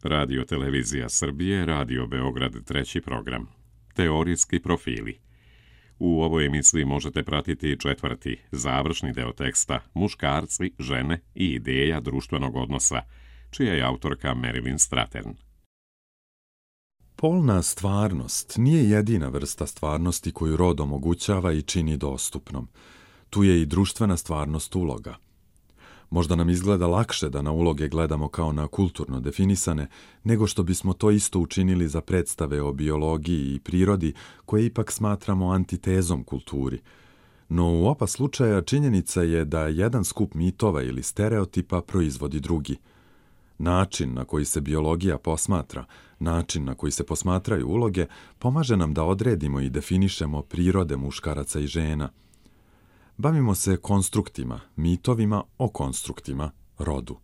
Radio Televizija Srbije, Radio Beograd, treći program. Teorijski profili. U ovoj emisiji možete pratiti četvrti, završni deo teksta Muškarci, žene i ideja društvenog odnosa, čija je autorka Marilyn Strathern. Polna stvarnost nije jedina vrsta stvarnosti koju rod omogućava i čini dostupnom. Tu je i društvena stvarnost uloga. Možda nam izgleda lakše da na uloge gledamo kao na kulturno definisane, nego što bismo to isto učinili za predstave o biologiji i prirodi, koje ipak smatramo antitezom kulturi. No u oba slučaja činjenica je da jedan skup mitova ili stereotipa proizvodi drugi. Način na koji se biologija posmatra, način na koji se posmatraju uloge, pomaže nam da odredimo i definišemo prirode muškaraca i žena. Bavimo se konstruktima, mitovima o konstruktima, rodu.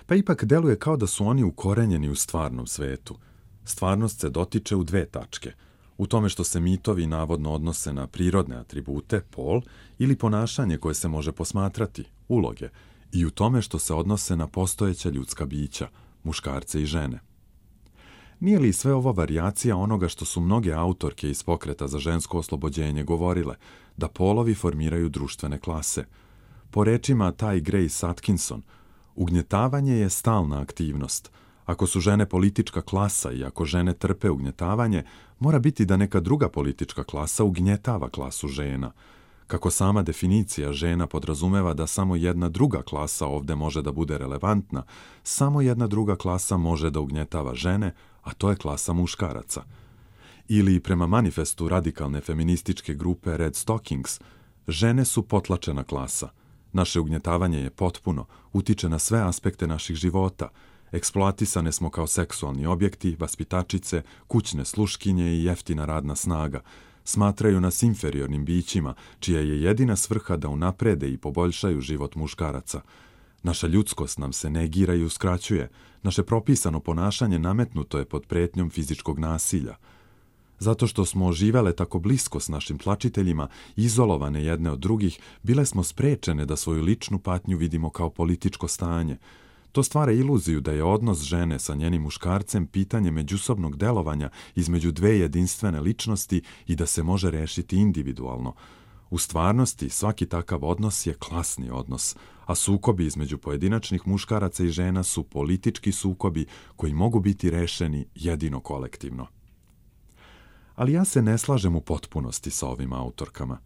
Pa ipak deluje kao da su oni ukorenjeni u stvarnom svetu. Stvarnost se dotiče u dve tačke. U tome što se mitovi navodno odnose na prirodne atribute, pol, ili ponašanje koje se može posmatrati, uloge, i u tome što se odnose na postojeća ljudska bića, muškarce i žene. Nije li sve ovo varijacija onoga što su mnoge autorke iz pokreta za žensko oslobođenje govorile, da polovi formiraju društvene klase? Po rečima Ty Grace Atkinson, ugnjetavanje je stalna aktivnost. Ako su žene politička klasa i ako žene trpe ugnjetavanje, mora biti da neka druga politička klasa ugnjetava klasu žena. Kako sama definicija žena podrazumeva da samo jedna druga klasa ovde može da bude relevantna, samo jedna druga klasa može da ugnjetava žene, a to je klasa muškaraca. Ili prema manifestu radikalne feminističke grupe Red Stockings, žene su potlačena klasa. Naše ugnjetavanje je potpuno, utiče na sve aspekte naših života. Eksploatisane smo kao seksualni objekti, vaspitačice, kućne sluškinje i jeftina radna snaga. Smatraju nas inferiornim bićima, čija je jedina svrha da unaprede i poboljšaju život muškaraca. Naša ljudskost nam se negira i uskraćuje. Naše propisano ponašanje nametnuto je pod pretnjom fizičkog nasilja. Zato što smo živele tako blisko s našim tlačiteljima, izolovane jedne od drugih, bile smo sprečene da svoju ličnu patnju vidimo kao političko stanje. To stvara iluziju da je odnos žene sa njenim muškarcem pitanje međusobnog delovanja između dve jedinstvene ličnosti i da se može rešiti individualno. U stvarnosti svaki takav odnos je klasni odnos, a sukobi između pojedinačnih muškaraca i žena su politički sukobi koji mogu biti rešeni jedino kolektivno. Ali ja se ne slažem u potpunosti sa ovim autorkama.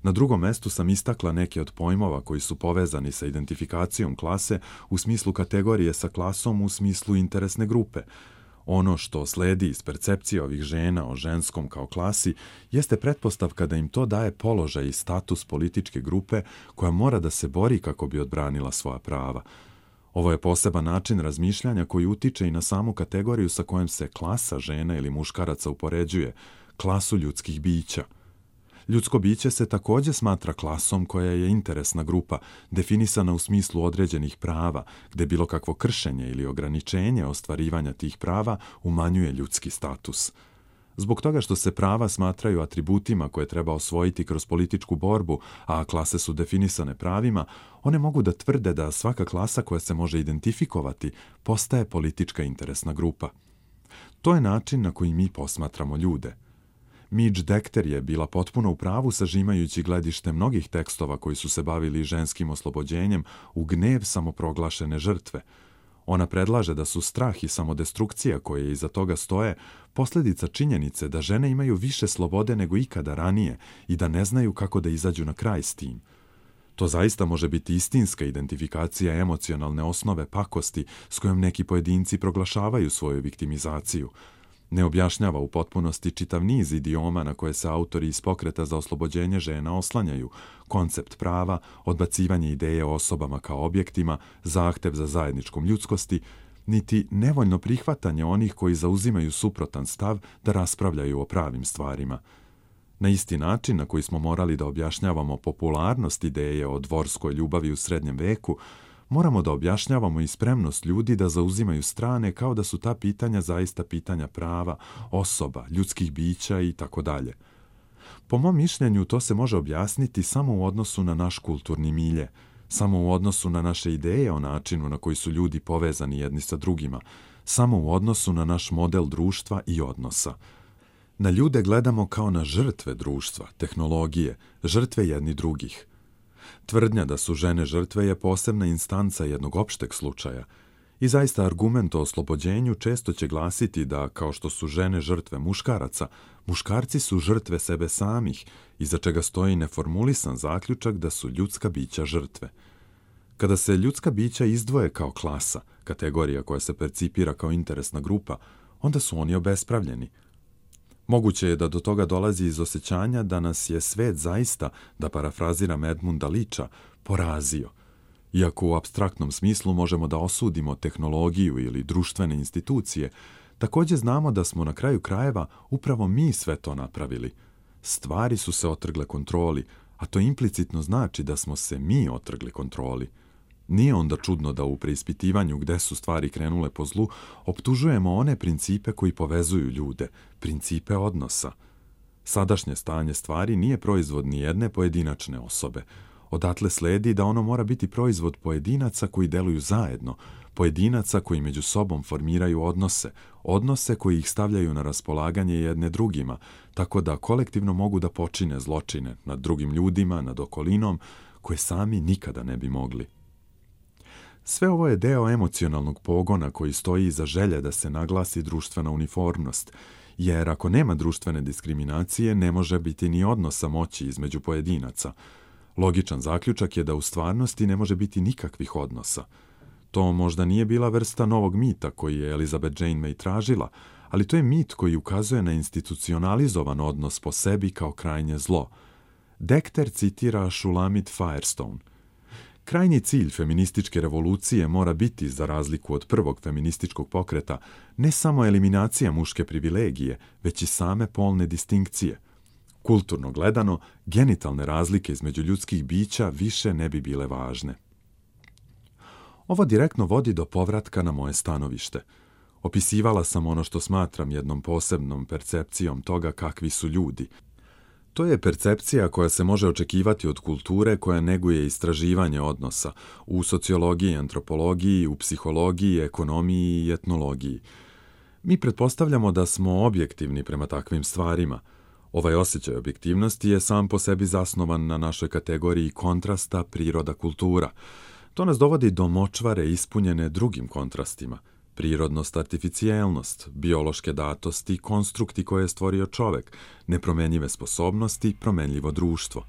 Na drugom mestu sam istakla neke od pojmova koji su povezani sa identifikacijom klase u smislu kategorije sa klasom u smislu interesne grupe. Ono što sledi iz percepcije ovih žena o ženskom kao klasi jeste pretpostavka da im to daje položaj i status političke grupe koja mora da se bori kako bi odbranila svoja prava. Ovo je poseban način razmišljanja koji utiče i na samu kategoriju sa kojom se klasa žena ili muškaraca upoređuje, klasu ljudskih bića. Ljudsko biće se također smatra klasom koja je interesna grupa, definisana u smislu određenih prava, gde bilo kakvo kršenje ili ograničenje ostvarivanja tih prava umanjuje ljudski status. Zbog toga što se prava smatraju atributima koje treba osvojiti kroz političku borbu, a klase su definisane pravima, one mogu da tvrde da svaka klasa koja se može identifikovati postaje politička interesna grupa. To je način na koji mi posmatramo ljude. Midge Decter je bila potpuno u pravu sažimajući gledište mnogih tekstova koji su se bavili ženskim oslobođenjem u gnev samoproglašene žrtve. Ona predlaže da su strah i samodestrukcija koje iza toga stoje posljedica činjenice da žene imaju više slobode nego ikada ranije i da ne znaju kako da izađu na kraj s tim. To zaista može biti istinska identifikacija emocionalne osnove pakosti s kojom neki pojedinci proglašavaju svoju viktimizaciju. Ne objašnjava u potpunosti čitav niz idioma na koje se autori iz pokreta za oslobođenje žena oslanjaju, koncept prava, odbacivanje ideje o osobama kao objektima, zahtev za zajedničkom ljudskosti, niti nevoljno prihvatanje onih koji zauzimaju suprotan stav da raspravljaju o pravim stvarima. Na isti način na koji smo morali da objašnjavamo popularnost ideje o dvorskoj ljubavi u srednjem veku, moramo da objašnjavamo i spremnost ljudi da zauzimaju strane kao da su ta pitanja zaista pitanja prava, osoba, ljudskih bića i tako dalje. Po mom mišljenju to se može objasniti samo u odnosu na naš kulturni milje, samo u odnosu na naše ideje o načinu na koji su ljudi povezani jedni sa drugima, samo u odnosu na naš model društva i odnosa. Na ljude gledamo kao na žrtve društva, tehnologije, žrtve jedni drugih. Tvrdnja da su žene žrtve je posebna instanca jednog opšteg slučaja i zaista argument o oslobođenju često će glasiti da, kao što su žene žrtve muškaraca, muškarci su žrtve sebe samih, iza čega stoji neformulisan zaključak da su ljudska bića žrtve. Kada se ljudska bića izdvoje kao klasa, kategorija koja se percipira kao interesna grupa, onda su oni obespravljeni. Moguće je da do toga dolazi iz osjećanja da nas je svet zaista, da parafraziram Edmunda Liča, porazio. Iako u apstraktnom smislu možemo da osudimo tehnologiju ili društvene institucije, također znamo da smo na kraju krajeva upravo mi sve to napravili. Stvari su se otrgle kontroli, a to implicitno znači da smo se mi otrgli kontroli. Nije onda čudno da u preispitivanju gde su stvari krenule po zlu, optužujemo one principe koji povezuju ljude, principe odnosa. Sadašnje stanje stvari nije proizvod ni jedne pojedinačne osobe. Odatle sledi da ono mora biti proizvod pojedinaca koji deluju zajedno, pojedinaca koji među sobom formiraju odnose koji ih stavljaju na raspolaganje jedne drugima, tako da kolektivno mogu da počine zločine nad drugim ljudima, nad okolinom, koje sami nikada ne bi mogli. Sve ovo je deo emocionalnog pogona koji stoji iza želje da se naglasi društvena uniformnost, jer ako nema društvene diskriminacije, ne može biti ni odnosa moći između pojedinaca. Logičan zaključak je da u stvarnosti ne može biti nikakvih odnosa. To možda nije bila vrsta novog mita koji je Elizabeth Jane May tražila, ali to je mit koji ukazuje na institucionalizovan odnos po sebi kao krajnje zlo. Dekter citira Shulamit Firestone. Krajnji cilj feminističke revolucije mora biti, za razliku od prvog feminističkog pokreta, ne samo eliminacija muške privilegije, već i same polne distinkcije. Kulturno gledano, genitalne razlike između ljudskih bića više ne bi bile važne. Ovo direktno vodi do povratka na moje stanovište. Opisivala sam ono što smatram jednom posebnom percepcijom toga kakvi su ljudi. To je percepcija koja se može očekivati od kulture koja neguje istraživanje odnosa u sociologiji, antropologiji, u psihologiji, ekonomiji i etnologiji. Mi pretpostavljamo da smo objektivni prema takvim stvarima. Ovaj osjećaj objektivnosti je sam po sebi zasnovan na našoj kategoriji kontrasta priroda-kultura. To nas dovodi do močvare ispunjene drugim kontrastima. Prirodnost, artificijelnost, biološke datosti, konstrukti koje je stvorio čovek, nepromenjive sposobnosti, promenljivo društvo.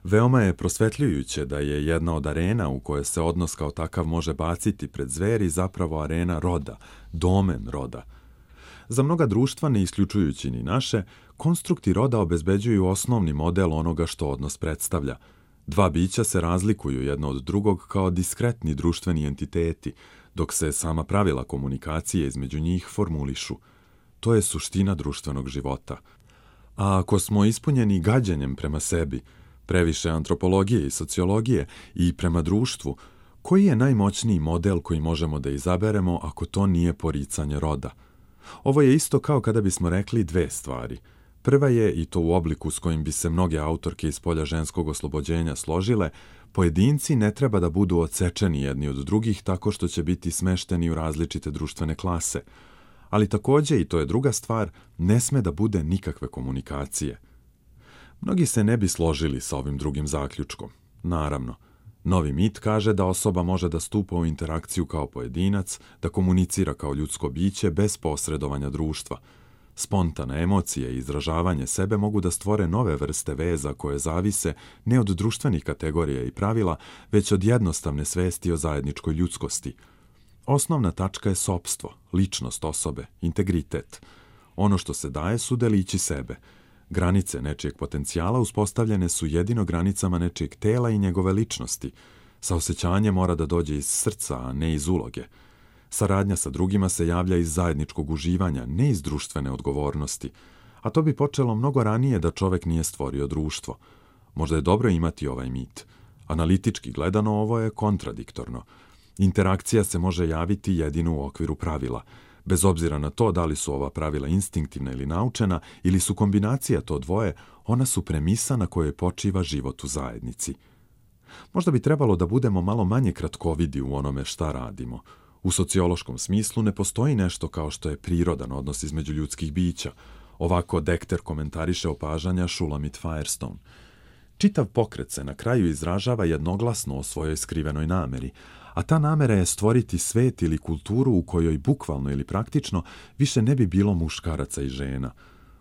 Veoma je prosvetljujuće da je jedna od arena u kojoj se odnos kao takav može baciti pred zveri zapravo arena roda, domen roda. Za mnoga društva, ne isključujući ni naše, konstrukti roda obezbeđuju osnovni model onoga što odnos predstavlja. Dva bića se razlikuju jedno od drugog kao diskretni društveni entiteti, dok se sama pravila komunikacije između njih formulišu. To je suština društvenog života. A ako smo ispunjeni gađenjem prema sebi, previše antropologije i sociologije i prema društvu, koji je najmoćniji model koji možemo da izaberemo ako to nije poricanje roda? Ovo je isto kao kada bismo rekli dve stvari. Prva je, i to u obliku s kojim bi se mnoge autorke iz polja ženskog oslobođenja složile, pojedinci ne treba da budu odsečeni jedni od drugih tako što će biti smešteni u različite društvene klase. Ali također, i to je druga stvar, ne sme da bude nikakve komunikacije. Mnogi se ne bi složili sa ovim drugim zaključkom. Naravno, novi mit kaže da osoba može da stupa u interakciju kao pojedinac, da komunicira kao ljudsko biće bez posredovanja društva. Spontane emocije i izražavanje sebe mogu da stvore nove vrste veza koje zavise ne od društvenih kategorija i pravila, već od jednostavne svesti o zajedničkoj ljudskosti. Osnovna tačka je sopstvo, ličnost osobe, integritet. Ono što se daje su delići sebe. Granice nečijeg potencijala uspostavljene su jedino granicama nečijeg tela i njegove ličnosti. Saosećanje mora da dođe iz srca, a ne iz uloge. Saradnja sa drugima se javlja iz zajedničkog uživanja, ne iz društvene odgovornosti. A to bi počelo mnogo ranije da čovek nije stvorio društvo. Možda je dobro imati ovaj mit. Analitički gledano ovo je kontradiktorno. Interakcija se može javiti jedino u okviru pravila. Bez obzira na to da li su ova pravila instinktivna ili naučena, ili su kombinacija to dvoje, ona su premisa na kojoj počiva život u zajednici. Možda bi trebalo da budemo malo manje kratkovidi u onome šta radimo. U sociološkom smislu ne postoji nešto kao što je prirodan odnos između ljudskih bića. Ovako Dekter komentariše opažanja Shulamit Firestone. Čitav pokret se na kraju izražava jednoglasno o svojoj skrivenoj nameri, a ta namera je stvoriti svet ili kulturu u kojoj bukvalno ili praktično više ne bi bilo muškaraca i žena.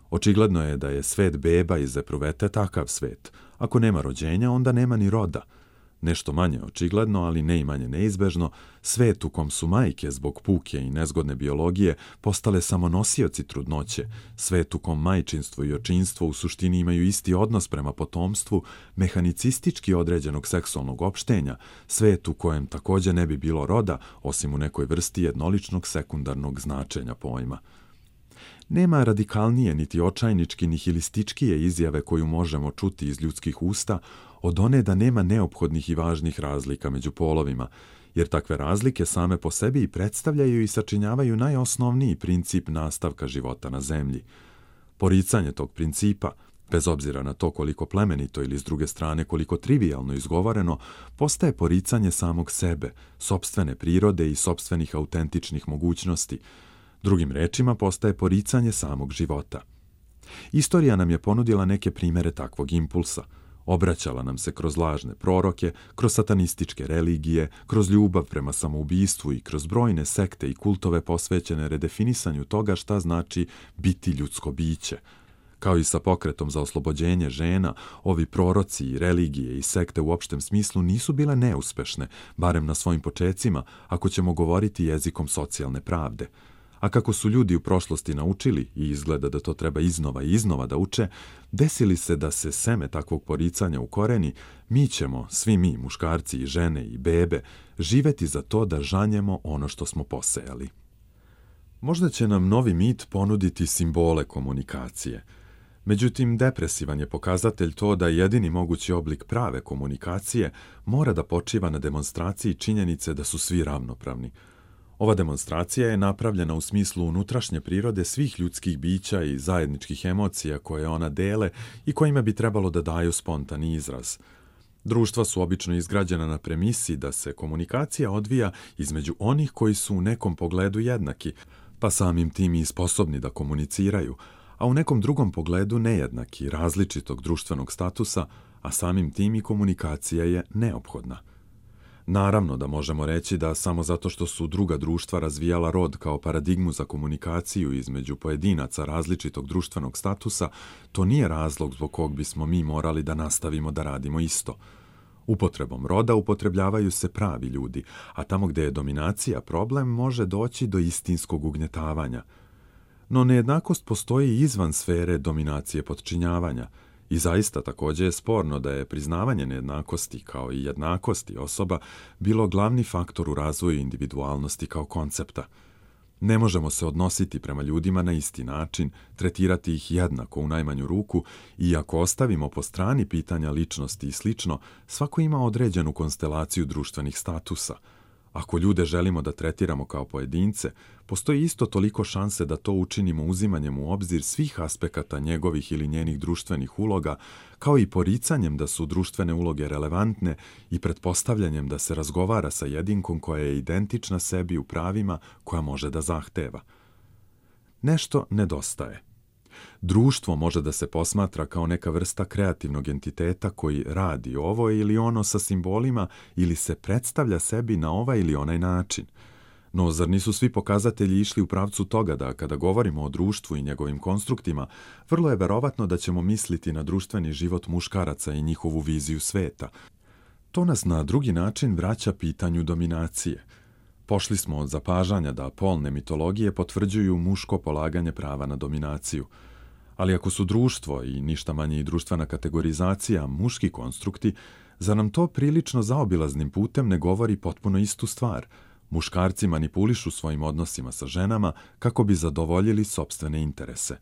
Očigledno je da je svet beba iz epruvete takav svet. Ako nema rođenja, onda nema ni roda. Nešto manje očigledno, ali ne i manje neizbežno, svet u kom su majke zbog puke i nezgodne biologije postale samo nosioci trudnoće, svet u kom majčinstvo i očinstvo u suštini imaju isti odnos prema potomstvu, mehanicistički određenog seksualnog opštenja, svet u kojem također ne bi bilo roda, osim u nekoj vrsti jednoličnog sekundarnog značenja pojma. Nema radikalnije niti očajnički nihilističkije izjave koju možemo čuti iz ljudskih usta od one da nema neophodnih i važnih razlika među polovima, jer takve razlike same po sebi i predstavljaju i sačinjavaju najosnovniji princip nastavka života na zemlji. Poricanje tog principa, bez obzira na to koliko plemenito ili s druge strane koliko trivijalno izgovoreno, postaje poricanje samog sebe, sopstvene prirode i sopstvenih autentičnih mogućnosti. Drugim rečima, postaje poricanje samog života. Istorija nam je ponudila neke primere takvog impulsa. Obraćala nam se kroz lažne proroke, kroz satanističke religije, kroz ljubav prema samoubistvu i kroz brojne sekte i kultove posvećene redefinisanju toga šta znači biti ljudsko biće. Kao i sa pokretom za oslobođenje žena, ovi proroci i religije i sekte u opštem smislu nisu bile neuspešne, barem na svojim počecima, ako ćemo govoriti jezikom socijalne pravde. A kako su ljudi u prošlosti naučili, i izgleda da to treba iznova i iznova da uče, desili se da se seme takvog poricanja ukoreni, mi ćemo, svi mi, muškarci i žene i bebe, živeti za to da žanjemo ono što smo posejali. Možda će nam novi mit ponuditi simbole komunikacije. Međutim, depresivan je pokazatelj to da jedini mogući oblik prave komunikacije mora da počiva na demonstraciji činjenice da su svi ravnopravni. Ova demonstracija je napravljena u smislu unutrašnje prirode svih ljudskih bića i zajedničkih emocija koje ona dele i kojima bi trebalo da daju spontani izraz. Društva su obično izgrađena na premisi da se komunikacija odvija između onih koji su u nekom pogledu jednaki, pa samim tim i sposobni da komuniciraju, a u nekom drugom pogledu nejednaki, različitog društvenog statusa, a samim tim i komunikacija je neophodna. Naravno da možemo reći da samo zato što su druga društva razvijala rod kao paradigmu za komunikaciju između pojedinaca različitog društvenog statusa, to nije razlog zbog kog bismo mi morali da nastavimo da radimo isto. Upotrebom roda upotrebljavaju se pravi ljudi, a tamo gde je dominacija problem može doći do istinskog ugnjetavanja. No nejednakost postoji izvan sfere dominacije podčinjavanja. I zaista također je sporno da je priznavanje nejednakosti kao i jednakosti osoba bilo glavni faktor u razvoju individualnosti kao koncepta. Ne možemo se odnositi prema ljudima na isti način, tretirati ih jednako u najmanju ruku i ako ostavimo po strani pitanja ličnosti i slično, svako ima određenu konstelaciju društvenih statusa. Ako ljude želimo da tretiramo kao pojedince, postoji isto toliko šanse da to učinimo uzimanjem u obzir svih aspekata njegovih ili njenih društvenih uloga, kao i poricanjem da su društvene uloge relevantne i pretpostavljanjem da se razgovara sa jedinkom koja je identična sebi u pravima koja može da zahteva. Nešto nedostaje. Društvo može da se posmatra kao neka vrsta kreativnog entiteta koji radi ovo ili ono sa simbolima ili se predstavlja sebi na ovaj ili onaj način. No, zar nisu svi pokazatelji išli u pravcu toga da, kada govorimo o društvu i njegovim konstruktima, vrlo je verovatno da ćemo misliti na društveni život muškaraca i njihovu viziju sveta. To nas na drugi način vraća pitanju dominacije. Pošli smo od zapažanja da polne mitologije potvrđuju muško polaganje prava na dominaciju. Ali ako su društvo i ništa manje i društvena kategorizacija muški konstrukti, zar nam to prilično zaobilaznim putem ne govori potpuno istu stvar? Muškarci manipulišu svojim odnosima sa ženama kako bi zadovoljili sopstvene interese.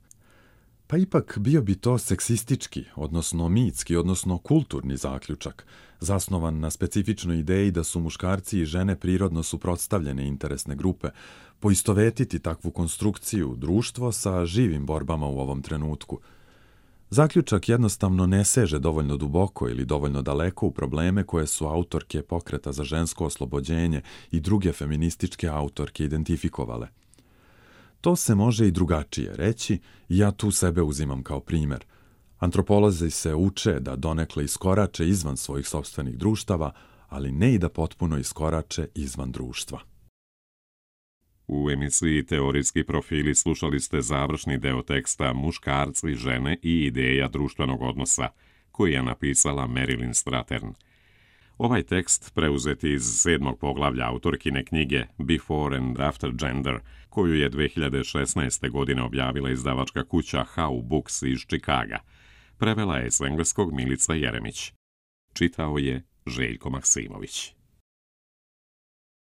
Pa ipak bio bi to seksistički, odnosno mitski, odnosno kulturni zaključak, zasnovan na specifičnoj ideji da su muškarci i žene prirodno suprotstavljene interesne grupe, poistovetiti takvu konstrukciju društvo sa živim borbama u ovom trenutku. Zaključak jednostavno ne seže dovoljno duboko ili dovoljno daleko u probleme koje su autorke pokreta za žensko oslobođenje i druge feminističke autorke identifikovale. To se može i drugačije reći i ja tu sebe uzimam kao primjer. Antropolozi se uče da donekle iskorače izvan svojih sopstvenih društava, ali ne i da potpuno iskorače izvan društva. U emisiji Teorijski profili slušali ste završni deo teksta Muškarci, žene i ideja društvenog odnosa, koji je napisala Marilyn Strathern. Ovaj tekst preuzet iz 7. poglavlja autorkine knjige Before and After Gender, koju je 2016. godine objavila izdavačka kuća How Books iz Čikaga. Prevela je s engleskog Milica Jeremić. Čitao je Željko Maksimović.